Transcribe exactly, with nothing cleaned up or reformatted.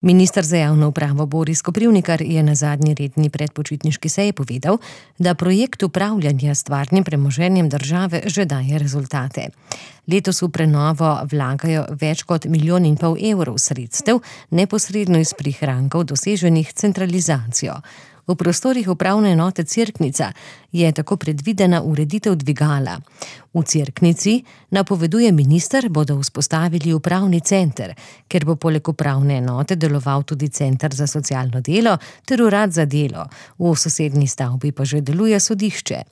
Minister za javno upravo Boris Koprivnikar je na zadnji redni predpočitniški seji povedal, da projekt upravljanja s stvarnim premoženjem države že daje rezultate. Letos v prenovo vlagajo več kot milijon in pol evrov sredstev, neposredno iz prihrankov doseženih centralizacijo. V prostorih upravne enote Cerknica je tako predvidena ureditev dvigala. V Cerknici, napoveduje minister, bodo vzpostavili upravni center, ker bo poleg upravne enote deloval tudi center za socialno delo ter urad za delo. V sosednji stavbi pa že deluje sodišče.